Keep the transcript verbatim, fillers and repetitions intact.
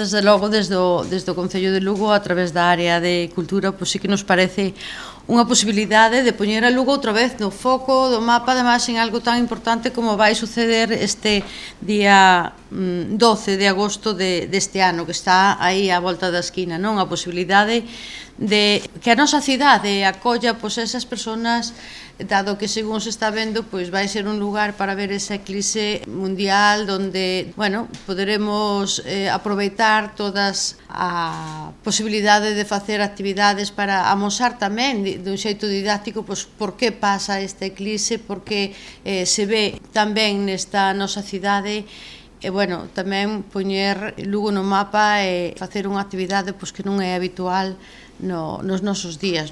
Desde logo, desde o, desde o Concello de Lugo, a través da área de cultura, pois sí que nos parece unha posibilidade de poñer a Lugo outra vez no foco do mapa, ademais en algo tan importante como vai suceder este día doce de agosto de, deste ano, que está aí á volta da esquina, non? A posibilidade de que a nosa cidade acolla pois esas persoas, dado que según se está vendo, pois vai ser un lugar para ver esa eclipse mundial donde, bueno, poderemos eh, aproveitar todas a posibilidade de facer actividades para amosar tamén dun xeito didáctico pois por que pasa esta eclipse, porque eh, se ve tamén nesta nosa cidade. E, bueno, tamén poñer Lugo no mapa e facer unha actividade pois, que non é habitual no, nos nosos días.